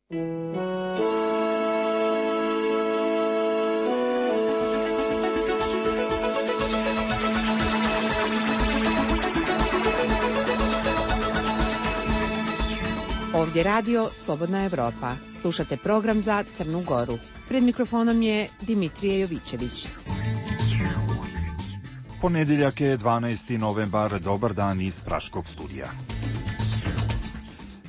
Ovdje radio Slobodna Evropa. Slušate program za Crnu Goru. Pred mikrofonom je Dimitrije Jovićević. Ponedjeljak je 12. novembar, dobar dan iz Praškog studija.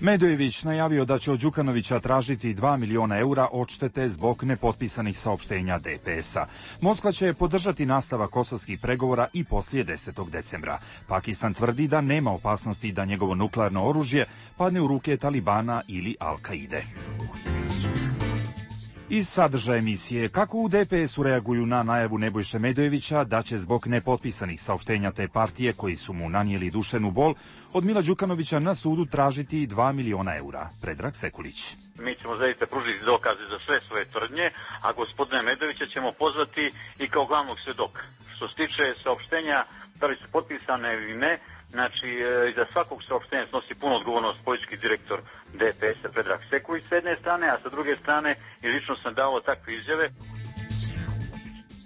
Medojević najavio da će od Đukanovića tražiti 2 miliona eura odštete zbog nepotpisanih saopštenja DPS-a. Moskva će podržati nastavak kosovskih pregovora i poslije 10. decembra. Pakistan tvrdi da nema opasnosti da njegovo nuklearno oružje padne u ruke Talibana ili Al-Kaide. Iz sadržaja emisije, kako u DPS-u reaguju na najavu Nebojše Medojevića da će zbog nepotpisanih saopštenja te partije koji su mu nanijeli duševnu bol od Mila Đukanovića na sudu tražiti 2 miliona eura. Predrag Sekulić. Mi ćemo zaista pružiti dokaze za sve svoje tvrdnje, a gospodina Medojevića ćemo pozvati i kao glavnog svedoka. Što se tiče saopštenja, da li su potpisane ili ne, znači iza svakog saopštenja snosi punu odgovornost politički direktor DPS-a Predrag Sekulić s jedne strane, a sa druge strane i lično sam dao takve izjave.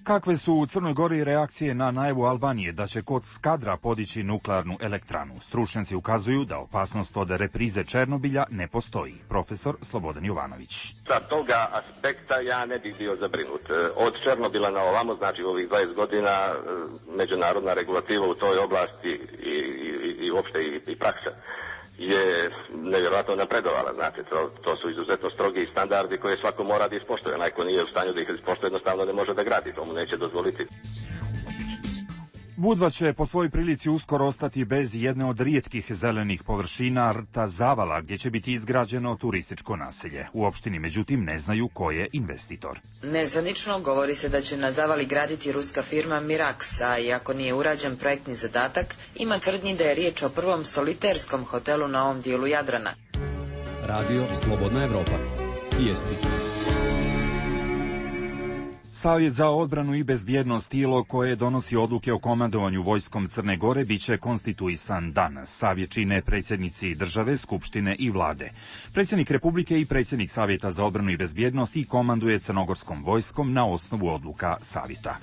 Kakve su u Crnoj Gori reakcije na najavu Albanije da će kod Skadra podići nuklearnu elektranu? Stručnjaci ukazuju da opasnost od reprize Černobilja ne postoji. Profesor Slobodan Jovanović. Sa toga aspekta ja ne bih bio zabrinut. Od Černobila na ovamo, znači u ovih 20 godina, međunarodna regulativa u toj oblasti i uopšte i praksa je nevjerojatno napredovala. Znači, to su izuzetno strogi standardi koje svako mora da ispoštuje. Onaj ko nije u stanju da ih ispoštuje, jednostavno ne može da gradi, to mu neće dozvoliti. Budva će po svojoj prilici uskoro ostati bez jedne od rijetkih zelenih površina, rta Zavala, gdje će biti izgrađeno turističko naselje. U opštini, međutim, ne znaju ko je investitor. Nezvanično govori se da će na Zavali graditi ruska firma Mirax, a iako nije urađen projektni zadatak, ima tvrdnji da je riječ o prvom soliterskom hotelu na ovom dijelu Jadrana. Radio Slobodna Evropa. Vijesti. Savjet za odbranu i bezbjednost, tijelo koje donosi odluke o komandovanju vojskom Crne Gore, biće konstituisan danas. Savjet čine predsjednici države, skupštine i vlade. Predsjednik Republike i predsjednik Savjeta za odbranu i bezbjednost i komanduje crnogorskom vojskom na osnovu odluka Savjeta.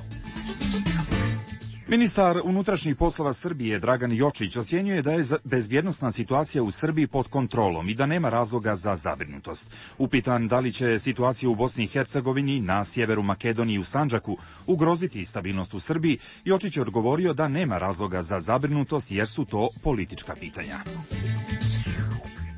Ministar unutrašnjih poslova Srbije Dragan Jočić ocjenjuje da je bezbjednosna situacija u Srbiji pod kontrolom i da nema razloga za zabrinutost. Upitan da li će situacija u Bosni i Hercegovini, na sjeveru Makedonije i u Sandžaku ugroziti stabilnost u Srbiji, Jočić je odgovorio da nema razloga za zabrinutost jer su to politička pitanja.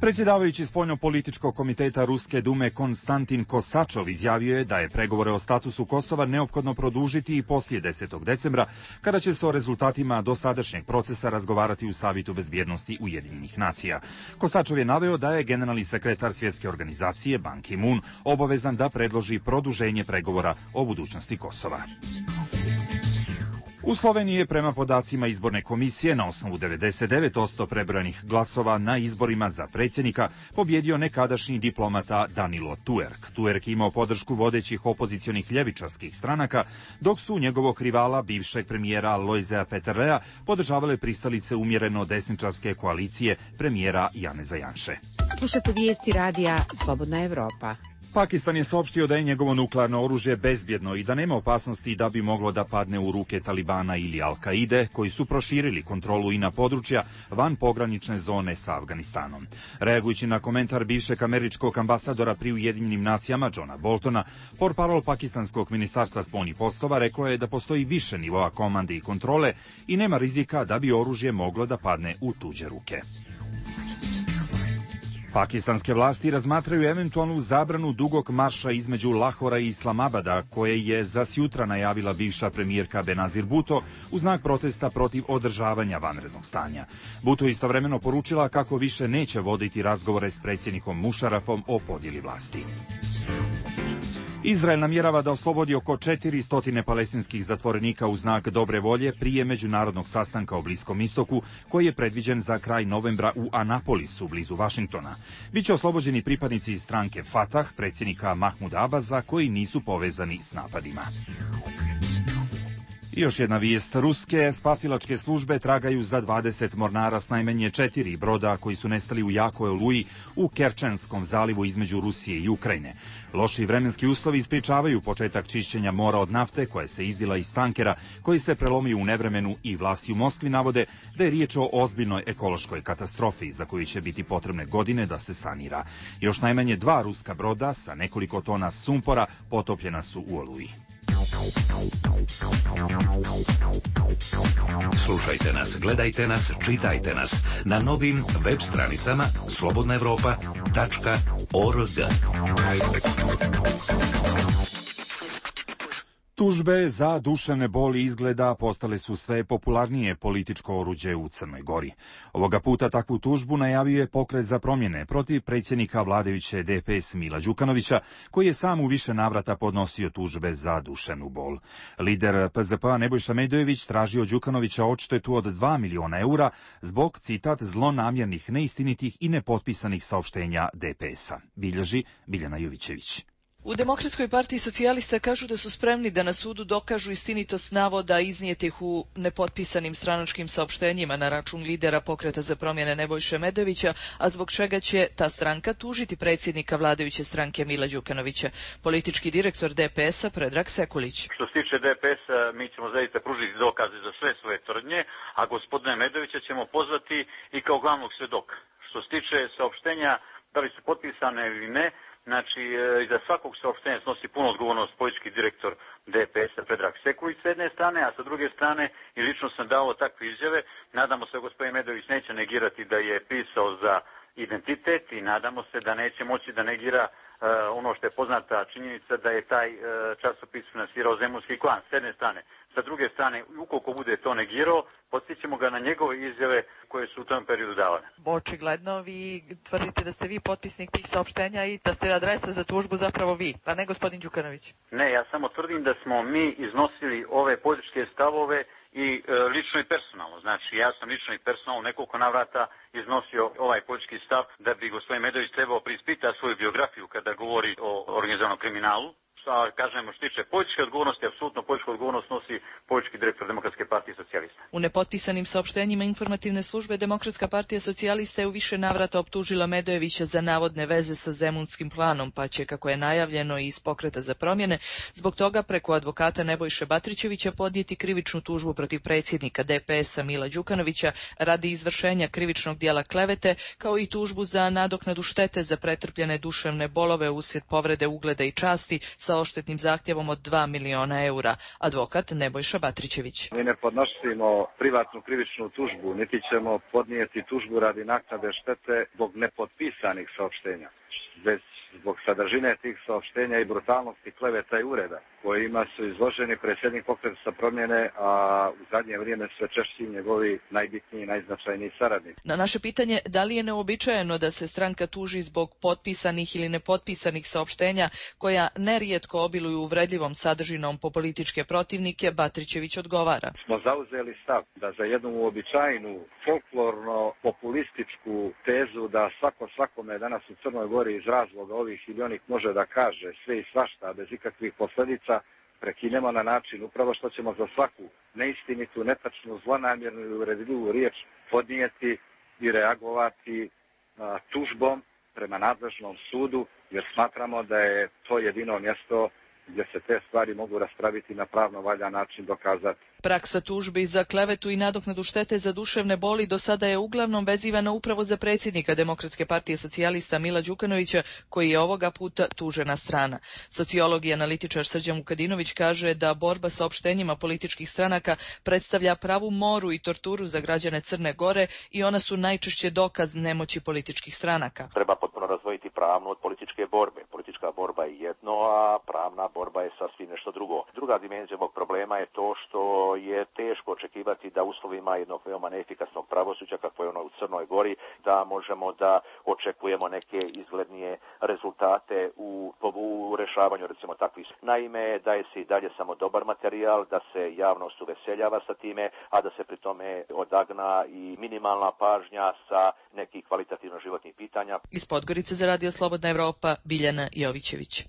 Predsjedavajući spoljnopolitičkog komiteta Ruske dume Konstantin Kosačov izjavio je da je pregovore o statusu Kosova neophodno produžiti i poslije 10. decembra, kada će se o rezultatima dosadašnjeg procesa razgovarati u Savjetu bezbjednosti Ujedinjenih nacija. Kosačov je naveo da je generalni sekretar Svjetske organizacije Ban Ki-moon obavezan da predloži produženje pregovora o budućnosti Kosova. U Sloveniji je prema podacima izborne komisije na osnovu 99% prebrojanih glasova na izborima za predsjednika pobjedio nekadašnji diplomata Danilo Tuerk. Tuerk imao podršku vodećih opozicionih ljevičarskih stranaka, dok su njegovog rivala, bivšeg premijera Lojzea Peterlea, podržavale pristalice umjereno desničarske koalicije premijera Janeza Janše. Slušate vijesti radija Slobodna Evropa. Pakistan je saopštio da je njegovo nuklearno oružje bezbjedno i da nema opasnosti da bi moglo da padne u ruke Talibana ili Al-Kaide, koji su proširili kontrolu i na područja van pogranične zone sa Afganistanom. Reagujući na komentar bivšeg američkog ambasadora pri Ujedinjenim nacijama Johna Boltona, portparol pakistanskog ministarstva spoljnih poslova rekao je da postoji više nivoa komande i kontrole i nema rizika da bi oružje moglo da padne u tuđe ruke. Pakistanske vlasti razmatraju eventualnu zabranu dugog marša između Lahora i Islamabada, koje je za sjutra najavila bivša premijerka Benazir Bhutto u znak protesta protiv održavanja vanrednog stanja. Bhutto istovremeno poručila kako više neće voditi razgovore s predsjednikom Musharrafom o podjeli vlasti. Izrael namjerava da oslobodi oko 400 palestinskih zatvorenika u znak dobre volje prije međunarodnog sastanka o Bliskom istoku, koji je predviđen za kraj novembra u Anapolisu, blizu Vašingtona. Biće oslobođeni pripadnici stranke Fatah, predsjednika Mahmuda Abaza, koji nisu povezani s napadima. I još jedna vijest. Ruske spasilačke službe tragaju za 20 mornara s najmanje 4 broda koji su nestali u jakoj oluji u Kerčenskom zalivu između Rusije i Ukrajine. Loši vremenski uslovi ispričavaju početak čišćenja mora od nafte koja se izdila iz tankera koji se prelomio u nevremenu i vlasti u Moskvi navode da je riječ o ozbiljnoj ekološkoj katastrofi za koju će biti potrebne godine da se sanira. Još najmanje 2 ruska broda sa nekoliko tona sumpora potopljena su u oluji. Slušajte nas, gledajte nas, čitajte nas na novim web stranicama slobodnaevropa.org. Tužbe za duševne boli izgleda postale su sve popularnije političko oruđe u Crnoj Gori. Ovoga puta takvu tužbu najavio je Pokret za promjene protiv predsjednika vladajuće DPS Mila Đukanovića, koji je sam u više navrata podnosio tužbe za duševnu bol. Lider PZP-a Nebojša Medojević tražio Đukanovića odštetu od 2 miliona eura zbog, citat, zlonamjernih, neistinitih i nepotpisanih saopštenja DPS-a. Bilježi Biljana Jovićević. U Demokratskoj partiji socijalista kažu da su spremni da na sudu dokažu istinitost navoda iznijetih u nepotpisanim stranačkim saopštenjima na račun lidera Pokreta za promjene Nebojše Medojevića, a zbog čega će ta stranka tužiti predsjednika vladajuće stranke Mila Đukanovića. Politički direktor DPS-a Predrag Sekulić. Što se tiče DPS-a, mi ćemo zaista pružiti dokaze za sve svoje tvrdnje, a gospodina Medojevića ćemo pozvati i kao glavnog svjedoka. Što se tiče saopštenja, da li su potpisane ili ne, znači, iza svakog saopštenja snosi punu odgovornost politički direktor DPS-a Predrag Sekulić s jedne strane, a sa druge strane i lično sam dao takve izjave. Nadamo se da gospodin Medojević neće negirati da je pisao za identitet i nadamo se da neće moći da negira ono što je poznata činjenica da je taj časopis finansirao zemunski klan s jedne strane. Sa druge strane, ukoliko bude to negirao, podsjećamo ga na njegove izjave koje su u tom periodu davane. Očigledno vi tvrdite da ste vi potpisnik tih saopštenja i da ste adresa za tužbu zapravo vi, a ne gospodin Đukanović. Ne, ja samo tvrdim da smo mi iznosili ove političke stavove i lično i personalno. Znači, ja sam lično i personalno nekoliko navrata iznosio ovaj politički stav da bi gospodin Medojević trebao preispitati svoju biografiju kada govori o organizovanom kriminalu. A kažemo što tiče političke odgovornosti, apsolutno političku odgovornost nosi politički direktor Demokratske partije socijalista. U nepotpisanim saopštenjima informativne službe Demokratska partija socijalista je u više navrata optužila Medojevića za navodne veze sa zemunskim planom, pa će, kako je najavljeno iz Pokreta za promjene, zbog toga preko advokata Nebojše Batrićevića podnijeti krivičnu tužbu protiv predsjednika DPS-a Mila Đukanovića radi izvršenja krivičnog djela klevete, kao i tužbu za nadoknadu štete za pretrpljene duševne bolove uslijed povrede ugleda i časti sa odštetnim zahtjevom od 2 miliona eura. Advokat Nebojša Batrićević. Mi ne podnosimo privatnu krivičnu tužbu, niti ćemo podnijeti tužbu radi naknade štete zbog nepotpisanih saopštenja, već zbog sadržine tih saopštenja i brutalnosti kleveta i ureda kojima su izloženi predsjednik Pokreta za promjene, a u zadnje vrijeme sve češći njegovi najbitniji i najznačajniji saradnici. Na naše pitanje da li je neobičajeno da se stranka tuži zbog potpisanih ili nepotpisanih saopštenja koja nerijetko obiluju uvredljivom sadržinom po političke protivnike, Batrićević odgovara. Smo zauzeli stav da za jednu uobičajenu folklorno-populističku tezu da svakome danas u Crnoj Gori iz razloga ovih ili onih može da kaže sve i svašta bez ikakvih posljedica, prekinemo na način upravo što ćemo za svaku neistinitu, netačnu, zlonamjernu i uvredljivu riječ podnijeti i reagovati tužbom prema nadležnom sudu, jer smatramo da je to jedino mjesto gdje se te stvari mogu raspraviti na pravno valjan način, dokazati. Praksa tužbi za klevetu i nadoknadu štete za duševne boli do sada je uglavnom vezivana upravo za predsjednika Demokratske partije socijalista Mila Đukanovića, koji je ovoga puta tužena strana. Sociolog i analitičar Srđan Vukadinović kaže da borba sa opštenjima političkih stranaka predstavlja pravu moru i torturu za građane Crne Gore i ona su najčešće dokaz nemoći političkih stranaka. Treba potpuno razdvojiti pravnu od političke borbe. Politička borba je jedno, a pravna borba je sasvim nešto drugo. Druga dimenzija ovog problema je to što je teško očekivati da uslovima jednog veoma neefikasnog pravosuđa, kako je ono u Crnoj Gori, da možemo da očekujemo neke izglednije rezultate u rešavanju recimo takvih. Naime, daje se i dalje samo dobar materijal, da se javnost uveseljava sa time, a da se pri tome odagna i minimalna pažnja sa nekih kvalitativno životnih pitanja. Iz Podgorice za Radio Slobodna Evropa, Biljana Jovićević.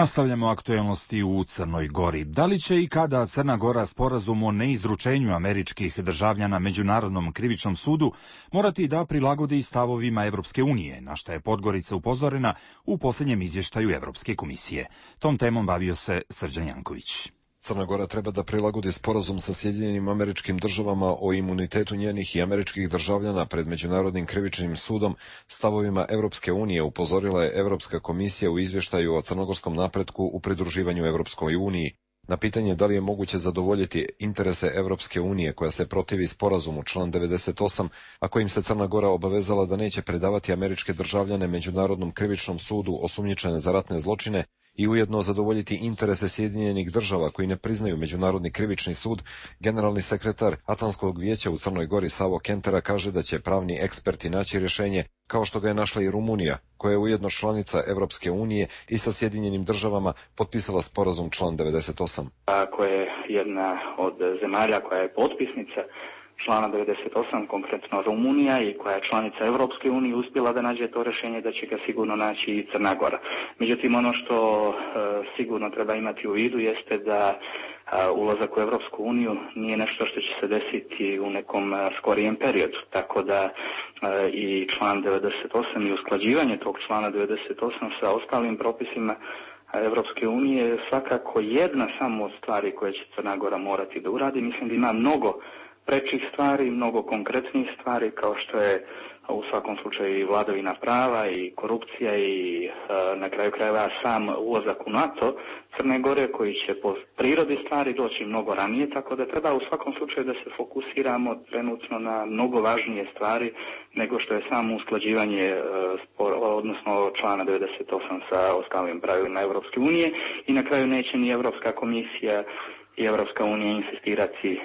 Nastavljamo aktuelnosti u Crnoj Gori. Da li će i kada Crna Gora sporazum o neizručenju američkih državljana Međunarodnom krivičnom sudu morati da prilagodi stavovima Evropske unije, na što je Podgorica upozorena u posljednjem izvještaju Evropske komisije? Tom temom bavio se Srđan Janković. Crna Gora treba da prilagodi sporazum sa Sjedinjenim Američkim Državama o imunitetu njenih i američkih državljana pred Međunarodnim krivičnim sudom stavovima Evropske unije, upozorila je Evropska komisija u izvještaju o crnogorskom napretku u pridruživanju Evropskoj uniji. Na pitanje da li je moguće zadovoljiti interese Evropske unije koja se protivi sporazumu član 98, a kojim se Crna Gora obavezala da neće predavati američke državljane Međunarodnom krivičnom sudu osumnjičene za ratne zločine, i ujedno zadovoljiti interese Sjedinjenih država koji ne priznaju Međunarodni krivični sud, generalni sekretar Atlantskog vijeća u Crnoj Gori Savo Kentera kaže da će pravni eksperti naći rješenje, kao što ga je našla i Rumunija, koja je ujedno članica Evropske unije i sa Sjedinjenim državama potpisala sporazum član 98. Koja je jedna od zemalja koja je potpisnica člana 98, konkretno Rumunija, i koja je članica Evropske unije, uspjela da nađe to rješenje, da će ga sigurno naći i Crna Gora. Međutim, ono što sigurno treba imati u vidu jeste da ulazak u Evropsku uniju nije nešto što će se desiti u nekom skorijem periodu. Tako da i član 98 i usklađivanje tog člana 98 sa ostalim propisima Evropske unije je svakako jedna samo od stvari koje će Crna Gora morati da uradi. Mislim da ima mnogo prečih stvari, mnogo konkretnih stvari, kao što je u svakom slučaju i vladavina prava i korupcija i na kraju krajeva sam ulazak u NATO Crne Gore, koji će po prirodi stvari doći mnogo ranije, tako da treba u svakom slučaju da se fokusiramo trenutno na mnogo važnije stvari nego što je samo usklađivanje odnosno člana 98 sa ostalim pravilima Evropske unije, i na kraju neće ni Evropska komisija i Evropska unija insistirati,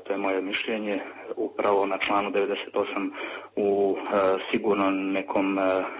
to je moje mišljenje, upravo na članu 98 u sigurno nekom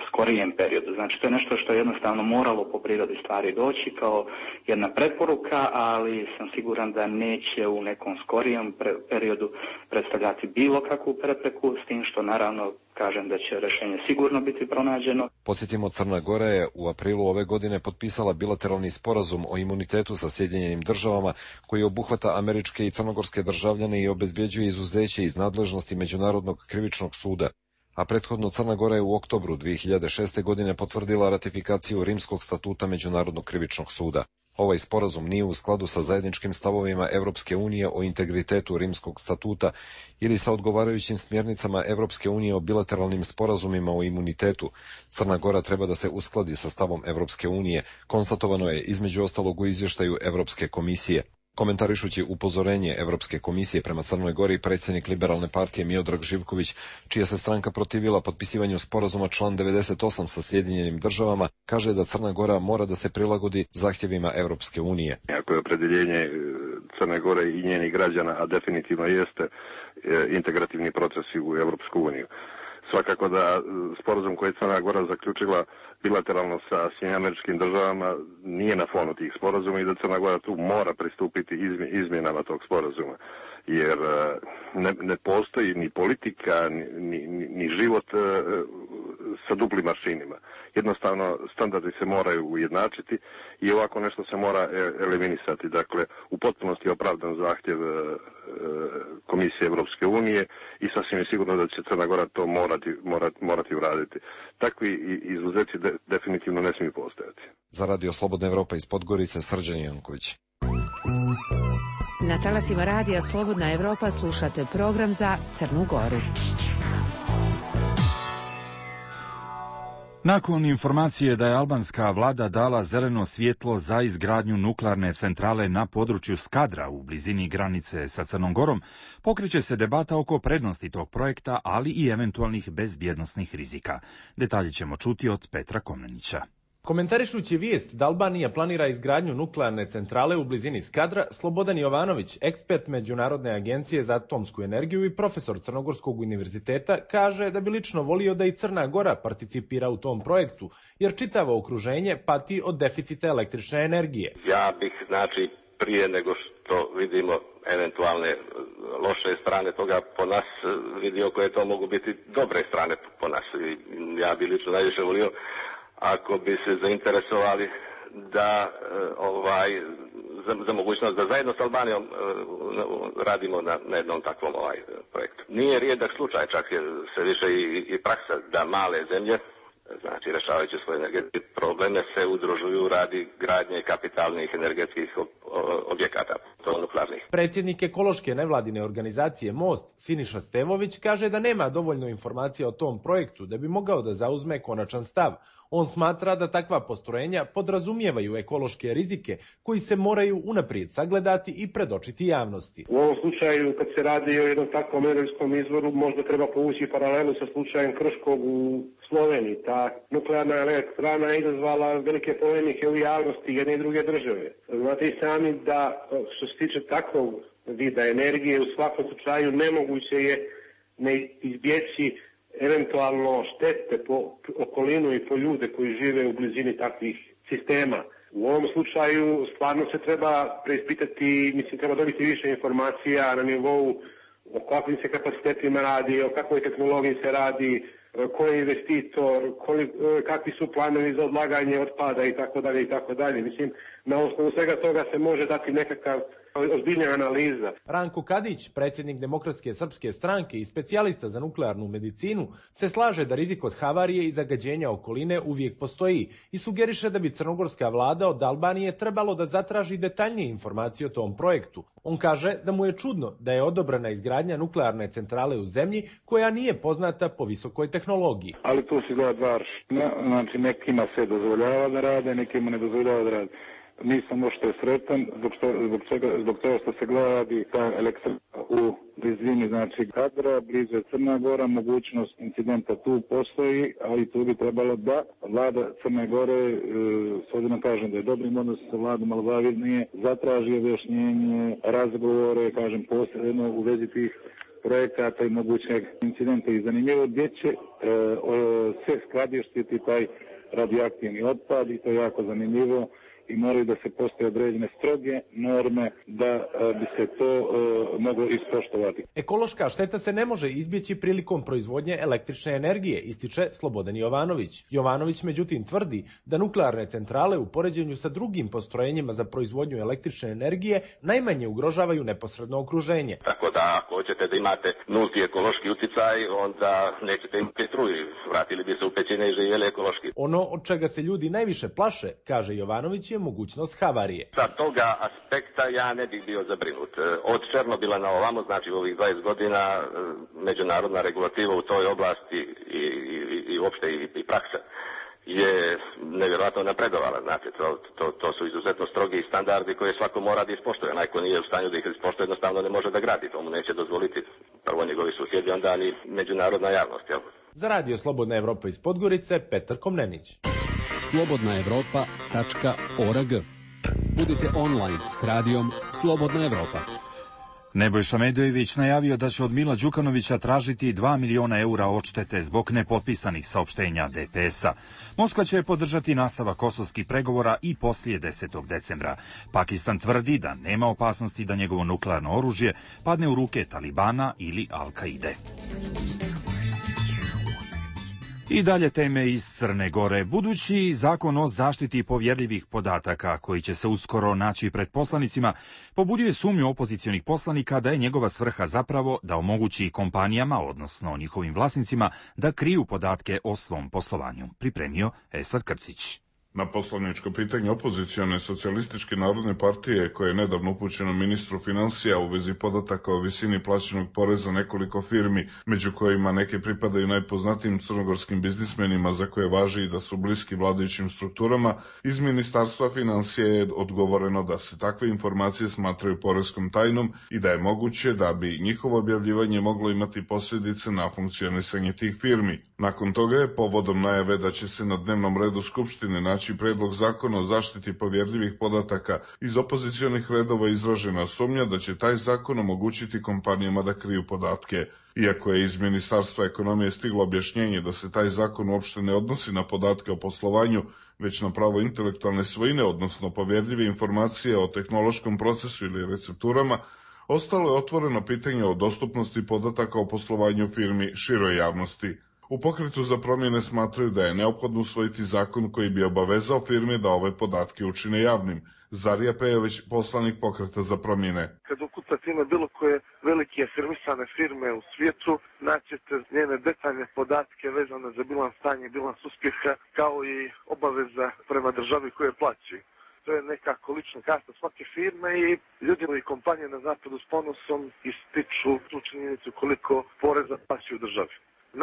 skorijem periodu. Znači, to je nešto što je jednostavno moralo po prirodi stvari doći kao jedna preporuka, ali sam siguran da neće u nekom skorijem periodu predstavljati bilo kakvu prepreku, s tim što naravno kažem da će rješenje sigurno biti pronađeno. Podsjetimo, Crna Gora je u aprilu ove godine potpisala bilateralni sporazum o imunitetu sa Sjedinjenim državama koji obuhvata američke i crnogorske državljane i obezbjeđuje izuzeće iz nadležnosti Međunarodnog krivičnog suda, a prethodno Crna Gora je u oktobru 2006. godine potvrdila ratifikaciju Rimskog statuta Međunarodnog krivičnog suda. Ovaj sporazum nije u skladu sa zajedničkim stavovima Evropske unije o integritetu Rimskog statuta ili sa odgovarajućim smjernicama Evropske unije o bilateralnim sporazumima o imunitetu. Crna Gora treba da se uskladi sa stavom Evropske unije, konstatovano je između ostalog u izvještaju Evropske komisije. Komentarišući upozorenje Evropske komisije prema Crnoj Gori, predsjednik Liberalne partije Miodrag Živković, čija se stranka protivila potpisivanju sporazuma član 98 sa Sjedinjenim državama, kaže da Crna Gora mora da se prilagodi zahtjevima Evropske unije. Ako je opredjeljenje Crne Gore i njenih građana, a definitivno jeste integrativni procesi u Evropsku uniju. Svakako da sporazum koji je Crna Gora zaključila bilateralno sa Sjedinjenim državama nije na fonu tih sporazuma i da Crna Gora tu mora pristupiti izmjenama tog sporazuma. Jer ne postoji ni politika, ni život sa duplim aršinima. Jednostavno, standardi se moraju ujednačiti i ovako nešto se mora eliminisati. Dakle, u potpunosti je opravdan zahtjev Komisije Evropske unije i sasvim je sigurno da će Crna Gora to morati uraditi. Takvi izuzeci definitivno ne smiju postojati. Za Radio Slobodna Evropa iz Podgorice, Srđan Janković. Na talasima Radija Slobodna Evropa slušate program za Crnu Goru. Nakon informacije da je albanska vlada dala zeleno svjetlo za izgradnju nuklearne centrale na području Skadra u blizini granice sa Crnom Gorom, pokreće se debata oko prednosti tog projekta, ali i eventualnih bezbjednosnih rizika. Detalje ćemo čuti od Petra Komnenića. Komentarišući vijest da Albanija planira izgradnju nuklearne centrale u blizini Skadra, Slobodan Jovanović, ekspert Međunarodne agencije za atomsku energiju i profesor Crnogorskog univerziteta, kaže da bi lično volio da i Crna Gora participira u tom projektu, jer čitavo okruženje pati od deficita električne energije. Ja bih, prije nego što vidimo eventualne loše strane toga po nas, vidio koje to mogu biti dobre strane po nas. Ja bih lično najviše volio ako bi se zainteresovali da za mogućnost da zajedno s Albanijom radimo na jednom takvom projektu. Nije rijedak slučaj, čak je sve više i praksa da male zemlje, znači rešavajući svoje energetske probleme, se udružuju radi gradnje kapitalnih energetskih objekata, to nuklearnih. Predsjednik ekološke nevladine organizacije Most, Siniša Stevović, kaže da nema dovoljno informacija o tom projektu da bi mogao da zauzme konačan stav. On smatra da takva postrojenja podrazumijevaju ekološke rizike koji se moraju unaprijed sagledati i predočiti javnosti. U ovom slučaju, kad se radi o jednom takvom energetskom izvoru, možda treba povući paralelu sa slučajem Krškog u Sloveniji. Ta nuklearna elektrana je izazvala velike polemike u javnosti jedne i druge države. Znate i sami da što se tiče takvog vida energije, u svakom slučaju nemoguće je ne izbjeći eventualno štete po okolinu i po ljude koji žive u blizini takvih sistema. U ovom slučaju stvarno se treba preispitati, treba dobiti više informacija na nivou o kakvim se kapacitetima radi, o kakvoj tehnologiji se radi, ko je investitor, kakvi su planovi za odlaganje otpada itd. itd. Mislim, na osnovu svega toga se može dati nekakav ozbiljna analiza. Ranko Kadić, predsjednik Demokratske srpske stranke i specijalista za nuklearnu medicinu, se slaže da rizik od havarije i zagađenja okoline uvijek postoji i sugeriše da bi crnogorska vlada od Albanije trebalo da zatraži detaljnije informacije o tom projektu. On kaže da mu je čudno da je odobrena izgradnja nuklearne centrale u zemlji koja nije poznata po visokoj tehnologiji. Ali tu se gleda dva aršina, znači nekima se dozvoljava da rade, nekima ne dozvoljava da rade. Nisam ošto sretan zbog toga što se gleda ta elektrana u blizini, znači Kadra, blizu Crna Gora, mogućnost incidenta tu postoji, ali tu bi trebalo da vlada Crne Gore, s obzirom kažem da je dobrim odnosom sa vladom Albanije, zatraži objašnjenje, razgovore, kažem posebno u vezi tih projekata i mogućeg incidenta. I zanimljivo gdje će se skladištiti taj radioaktivni otpad i to je jako zanimljivo. I moraju da se postoje određene stroge norme da bi se to moglo ispoštovati. Ekološka šteta se ne može izbjeći prilikom proizvodnje električne energije, ističe Slobodan Jovanović. Jovanović međutim tvrdi da nuklearne centrale u poređenju sa drugim postrojenjima za proizvodnju električne energije najmanje ugrožavaju neposredno okruženje. Tako da ako hoćete da imate nulti ekološki uticaj, onda nećete imati struju. Vratili bi se u pećine i živjeli ekološki. Ono od čega se ljudi najviše plaše, kaže Jovanović, je mogućnost havarije. Sa toga aspekta ja ne bih bio zabrinut. Od Černobila na ovamo, znači u ovih 20 godina, međunarodna regulativa u toj oblasti i uopšte i praksa je nevjerojatno napredovala. Znate, to su izuzetno strogi standardi koje svako mora da ispoštuje. Onaj ko nije u stanju da ih ispoštuje, jednostavno ne može da gradi. To mu neće dozvoliti prvo njegovi susjedi, onda ni međunarodna javnost. Jel? Za Radio Slobodna Evropa iz Podgorice, Petar Komnenić. slobodnaevropa.org. Budite online s radijom Slobodna Evropa. Nebojša Medojević najavio da će od Mila Đukanovića tražiti 2 miliona eura odštete zbog nepotpisanih saopštenja DPS-a. Moskva će podržati nastavak kosovskih pregovora i poslije 10. decembra. Pakistan tvrdi da nema opasnosti da njegovo nuklearno oružje padne u ruke Talibana ili Al-Kaide. I dalje teme iz Crne Gore. Budući zakon o zaštiti povjerljivih podataka, koji će se uskoro naći pred poslanicima, pobudio je sumnju opozicionih poslanika da je njegova svrha zapravo da omogući kompanijama, odnosno njihovim vlasnicima, da kriju podatke o svom poslovanju. Pripremio Esad Krcić. Na poslaničko pitanje opozicione socijalističke narodne partije, koje je nedavno upućeno ministru financija u vezi podataka o visini plaćenog poreza nekoliko firmi, među kojima neke pripadaju najpoznatijim crnogorskim biznismenima za koje važi i da su bliski vladajućim strukturama, iz Ministarstva financija je odgovoreno da se takve informacije smatraju poreskom tajnom i da je moguće da bi njihovo objavljivanje moglo imati posljedice na funkcionisanje tih firmi. Nakon toga je povodom najave da će se na dnevnom redu Skupštine naći predlog zakona o zaštiti povjerljivih podataka iz opozicionih redova izražena sumnja da će taj zakon omogućiti kompanijama da kriju podatke. Iako je iz Ministarstva ekonomije stiglo objašnjenje da se taj zakon uopšte ne odnosi na podatke o poslovanju, već na pravo intelektualne svojine, odnosno povjerljive informacije o tehnološkom procesu ili recepturama, ostalo je otvoreno pitanje o dostupnosti podataka o poslovanju firmi široj javnosti. U Pokretu za promjene smatraju da je neophodno usvojiti zakon koji bi obavezao firme da ove podatke učine javnim. Zarija Pejović, poslanik Pokreta za promjene. Kad ukucate ime bilo koje velike afirmisane firme u svijetu, naćete njene detaljne podatke vezane za bilans stanja i bilans uspjeha, kao i obaveza prema državi koje plaćaju. To je nekako lična karta svake firme i ljudi i kompanije na zapadu s ponosom ističu tu činjenicu koliko poreza plaćaju državi.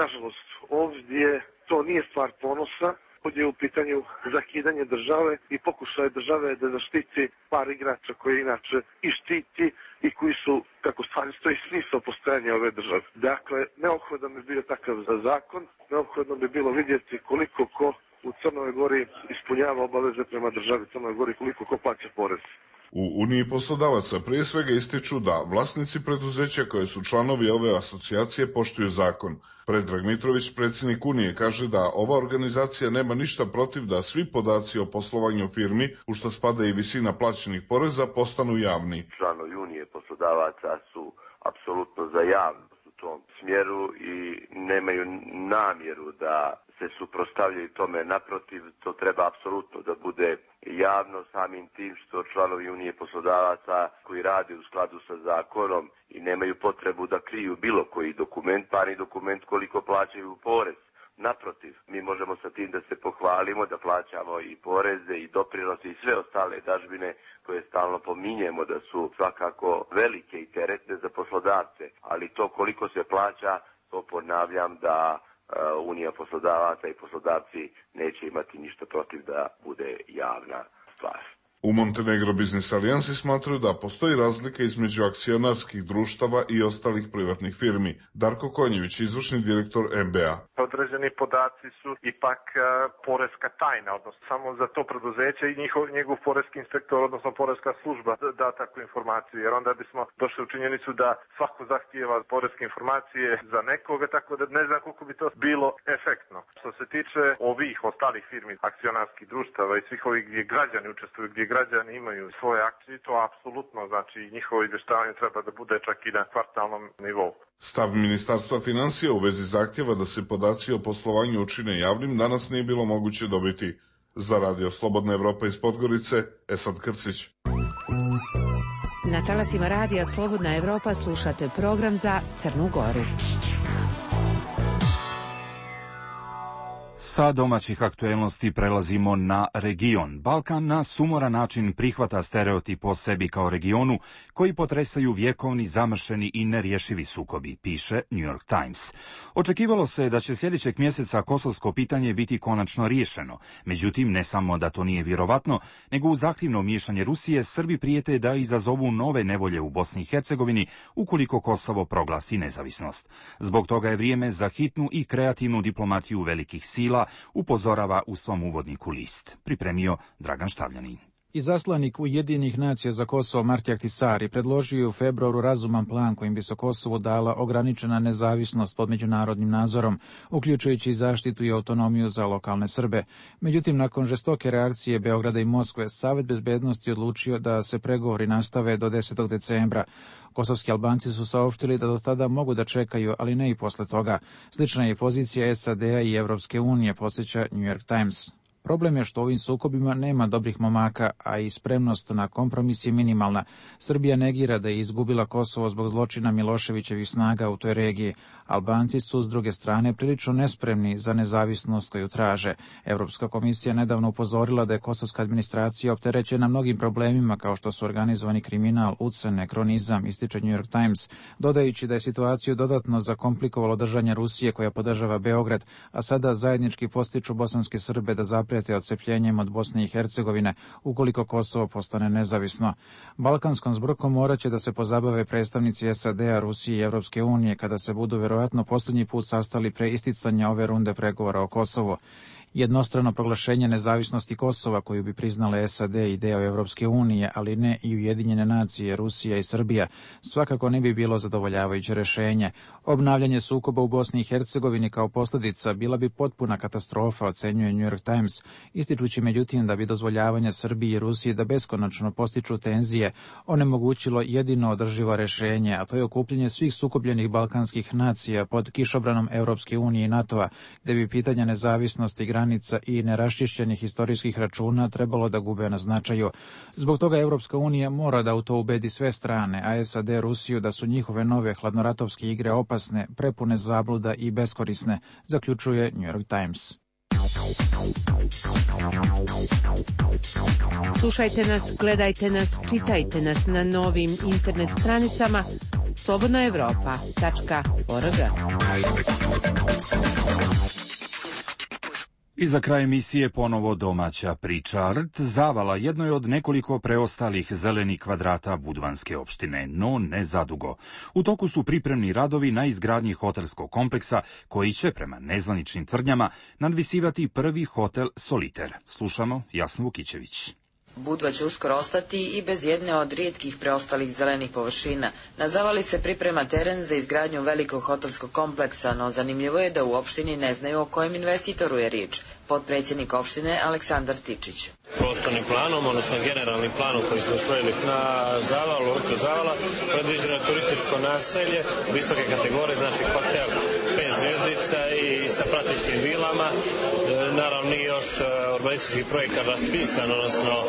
Nažalost, ovdje to nije stvar ponosa, ovdje je u pitanju zakidanje države i pokušaj države da zaštiti par igrača koje inače i štiti i koji su, kako stvari stoji, smisao postojanja ove države. Dakle, neophodan bi bio takav zakon, neophodno bi bilo vidjeti koliko ko u Crnoj Gori ispunjava obaveze prema državi Crnoj Gori, koliko ko plaća porez. U Uniji poslodavaca prije svega ističu da vlasnici preduzeća koje su članovi ove asocijacije poštuju zakon. Predrag Mitrović, predsjednik Unije, kaže da ova organizacija nema ništa protiv da svi podaci o poslovanju firmi, u što spada i visina plaćenih poreza, postanu javni. Članovi Unije poslodavaca su apsolutno za javnost u tom smjeru i nemaju namjeru da se suprotstavljaju tome. Naprotiv, to treba apsolutno da bude javno, samim tim što članovi Unije poslodavaca koji rade u skladu sa zakonom i nemaju potrebu da kriju bilo koji dokument, pa ni dokument koliko plaćaju porez. Naprotiv, mi možemo sa tim da se pohvalimo, da plaćamo i poreze i doprinose i sve ostale dažbine koje stalno pominjemo da su svakako velike i teretne za poslodavce, ali to koliko se plaća, to ponavljam da Unija poslodavaca i poslodavci neće imati ništa protiv da bude javna stvar. U Montenegro Biznis Alijansi smatraju da postoji razlika između akcionarskih društava i ostalih privatnih firmi. Darko Konjević, izvršni direktor MBA. Određeni podaci su ipak poreska tajna, odnosno samo za to preduzeće i njegov poreski inspektor, odnosno poreska služba da takvu informaciju, jer onda bismo došli u činjenicu da svako zahtijeva poreske informacije za nekoga, tako da ne znam koliko bi to bilo efektno. Što se tiče ovih ostalih firmi, akcionarskih društava i svih ovih gdje građani učestvuju, gdje građani imaju svoje akcije, to apsolutno, znači njihovo izvještavanje treba da bude čak i na kvartalnom nivou. Stav Ministarstva financija u vezi zahtjeva da se podaci o poslovanju učine javnim danas nije bilo moguće dobiti. Za Radio Slobodna Evropa iz Podgorice, Esad Krcić. Na talasima Radija Slobodna Evropa slušate program za Crnu Goru. Sa domaćih aktuelnosti prelazimo na region. Balkan na sumoran način prihvata stereotip o sebi kao regionu koji potresaju vjekovni, zamršeni i nerješivi sukobi, piše New York Times. Očekivalo se da će sljedećeg mjeseca kosovsko pitanje biti konačno riješeno. Međutim, ne samo da to nije vjerovatno, nego u zahtjevno miješanje Rusije Srbi prijete da izazovu nove nevolje u Bosni i Hercegovini ukoliko Kosovo proglasi nezavisnost. Zbog toga je vrijeme za hitnu i kreativnu diplomatiju velikih sila, upozorava u svom uvodniku list. Pripremio Dragan Štavljanin. Izaslanik Ujedinjenih nacija za Kosovo Marti Ahtisari predložio je u februaru razuman plan kojim bi se Kosovu dala ograničena nezavisnost pod međunarodnim nadzorom, uključujući i zaštitu i autonomiju za lokalne Srbe. Međutim, nakon žestoke reakcije Beograda i Moskve, Savet bezbednosti odlučio da se pregovori nastave do 10. decembra. Kosovski Albanci su saopštili da do tada mogu da čekaju, ali ne i posle toga. Slična je pozicija SAD-a i Evropske unije, podsjeća New York Times. Problem je što u ovim sukobima nema dobrih momaka, a i spremnost na kompromis je minimalna. Srbija negira da je izgubila Kosovo zbog zločina Miloševićevih snaga u toj regiji. Albanci su, s druge strane, prilično nespremni za nezavisnost koju traže. Evropska komisija nedavno upozorila da je kosovska administracija opterećena mnogim problemima kao što su organizovani kriminal, ucene, kronizam, ističe New York Times, dodajući da je situaciju dodatno zakomplikovalo držanje Rusije koja podržava Beograd, a sada zajednički postiču bosanske Srbe da zaprijete odcepljenjem od Bosne i Hercegovine ukoliko Kosovo postane nezavisno. Balkanskom zbrkom moraće da se pozabave predstavnici SAD-a, Rusije i Evropske unije kada se budu verovatno posljednji put sastali pre isticanja ove runde pregovora o Kosovu. Jednostrano proglašenje nezavisnosti Kosova koju bi priznale SAD i deo Evropske unije, ali ne i Ujedinjene nacije, Rusija i Srbija, svakako ne bi bilo zadovoljavajuće rešenje. Obnavljanje sukoba u Bosni i Hercegovini kao posljedica bila bi potpuna katastrofa, ocenjuje New York Times, ističući međutim da bi dozvoljavanje Srbiji i Rusiji da beskonačno postiču tenzije onemogućilo jedino održivo rešenje, a to je okupljanje svih sukobljenih balkanskih nacija pod kišobranom Evropske unije i NATO-a, gde bi pitanja nezavisnosti granica i neraščišćenih istorijskih računa trebalo da gube na značaju. Zbog toga Evropska unija mora da u to ubedi sve strane, a SAD Rusiju da su njihove nove hladnoratovske igre opasne, prepune zabluda i beskorisne, zaključuje New York Times. Slušajte nas, gledajte nas, čitajte nas na novim internet stranicama slobodnoevropa.org. I za kraj emisije ponovo domaća priča. Rt Zavala jedno je od nekoliko preostalih zelenih kvadrata Budvanske opštine, no ne zadugo. U toku su pripremni radovi na izgradnji hotelskog kompleksa koji će, prema nezvaničnim tvrdnjama, nadvisivati prvi hotel Soliter. Slušamo Jasnu Vukićević. Budva će uskoro ostati i bez jedne od rijetkih preostalih zelenih površina. Na Zavali se priprema teren za izgradnju velikog hotelskog kompleksa, no zanimljivo je da u opštini ne znaju o kojem investitoru je riječ. Potpredsjednik opštine Aleksandar Tičić. Prostornim planom, odnosno generalnim planom koji smo usvojili na Zavalu, Rt Zavala, predviđeno turističko naselje visoke kategorije, znači hotel 5 zvjezdica i sa pratećim vilama. Naravno nije još urbanistički projekat raspisan, odnosno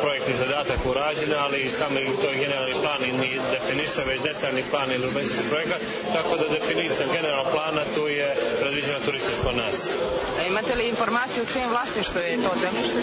projektni zadatak urađen, ali sami to je generalni plan i ni definiše već detaljni plan ili urbanistički projekat, tako da definicijom generalnog plana tu je predviđeno turističko naselje. Imate li informaciju u čijem vlasništvu je to zemljište?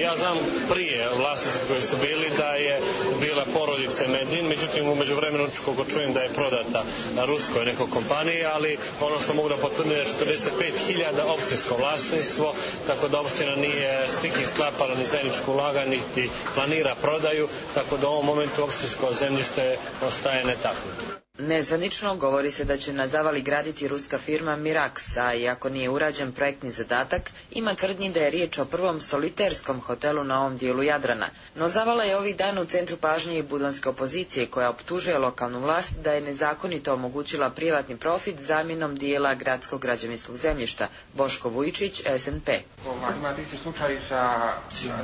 Ja znam prije vlasnici koji su bili da je bila porodica Medin, međutim u međuvremenu koliko čujem da je prodata na ruskoj nekoj kompaniji, ali ono što mogu da potvrdim je 45.000 opštinsko vlasništvo, tako da opština nije s nikim sklapala ni zajedničko ulaganje, niti planira prodaju, tako da u ovom momentu opštinsko zemljište ostaje netaknuto. Nezvanično govori se da će na Zavali graditi ruska firma Mirax, a iako nije urađen projektni zadatak, ima tvrdnji da je riječ o prvom soliterskom hotelu na ovom dijelu Jadrana. No Zavala je ovih dana u centru pažnje i budvanske opozicije koja optužuje lokalnu vlast da je nezakonito omogućila privatni profit zamjenom dijela gradskog građevinskog zemljišta. Boško Vujičić, SNP. Imate isti slučaj sa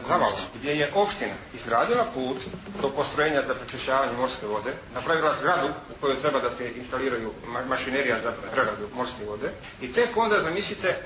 Zavalom, gdje je opština izgradila put do postrojenja za prečišćavanje morske vode, napravila zgradu u kojoj treba da se instaliraju mašinerija za preradu morske vode i tek onda, zamislite,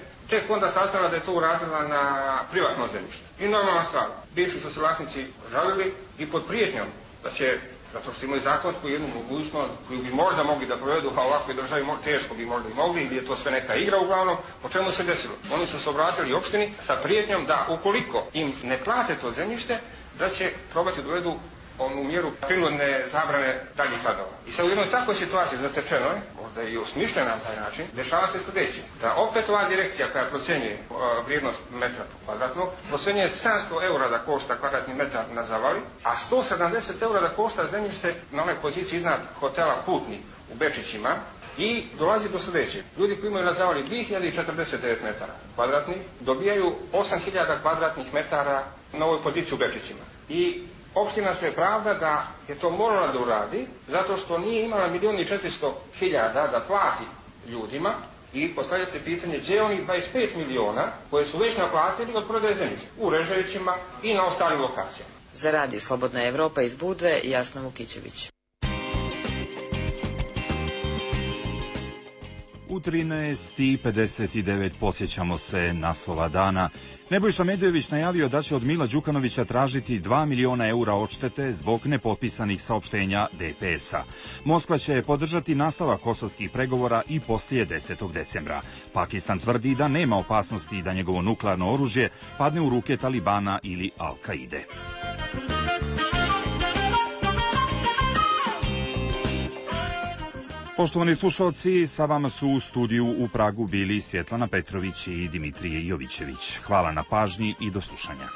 saznala da je to uradila na privatno zemljište. I normalna stvar, bivši su se vlasnici žalili i pod prijetnjom da će, zato što imaju zakonsku jednu mogućnost koju bi možda mogli da provedu, a ovakvoj državi teško bi možda i mogli, ili je to sve neka igra uglavnom, o čemu se desilo? Oni su se obratili opštini sa prijetnjom da ukoliko im ne plate to zemljište, da će probati dovedu onu mjeru prinudne zabrane daljih radova. I sad u jednoj takvoj situaciji zatečenoj, možda i osmišljena na taj način, dešava se sljedeće. Da opet ova direkcija koja procjenjuje vrijednost metra kvadratnog, procjenjuje 700 eura da košta kvadratni metar na Zavali, a 170 eura da košta zemljište na onoj poziciji iznad hotela Putnik u Bečićima, i dolazi do sljedeće. Ljudi koji imaju na Zavali 2049 metara kvadratnih dobijaju 8000 kvadratnih metara na ovoj poziciji u Bečićima. I opština se pravda da je to morala da uradi zato što nije imala 1.400.000 da plati ljudima i postavlja se pitanje gdje oni 25 miliona koje su već naplatili od prodaje zemljišta u Reževićima i na ostalim lokacijama. Za Radio Slobodna Evropa iz Budve, Jasna Vukićević. U 13:59 podsjećamo se naslova dana. Nebojša Medojević najavio da će od Mila Đukanovića tražiti 2 miliona eura odštete zbog nepotpisanih saopštenja DPS-a. Moskva će podržati nastavak kosovskih pregovora i poslije 10. decembra. Pakistan tvrdi da nema opasnosti da njegovo nuklearno oružje padne u ruke Talibana ili Al-Kaide. Poštovani slušalci, sa vama su u studiju u Pragu bili Svjetlana Petrović i Dimitrije Jovićević. Hvala na pažnji i do slušanja.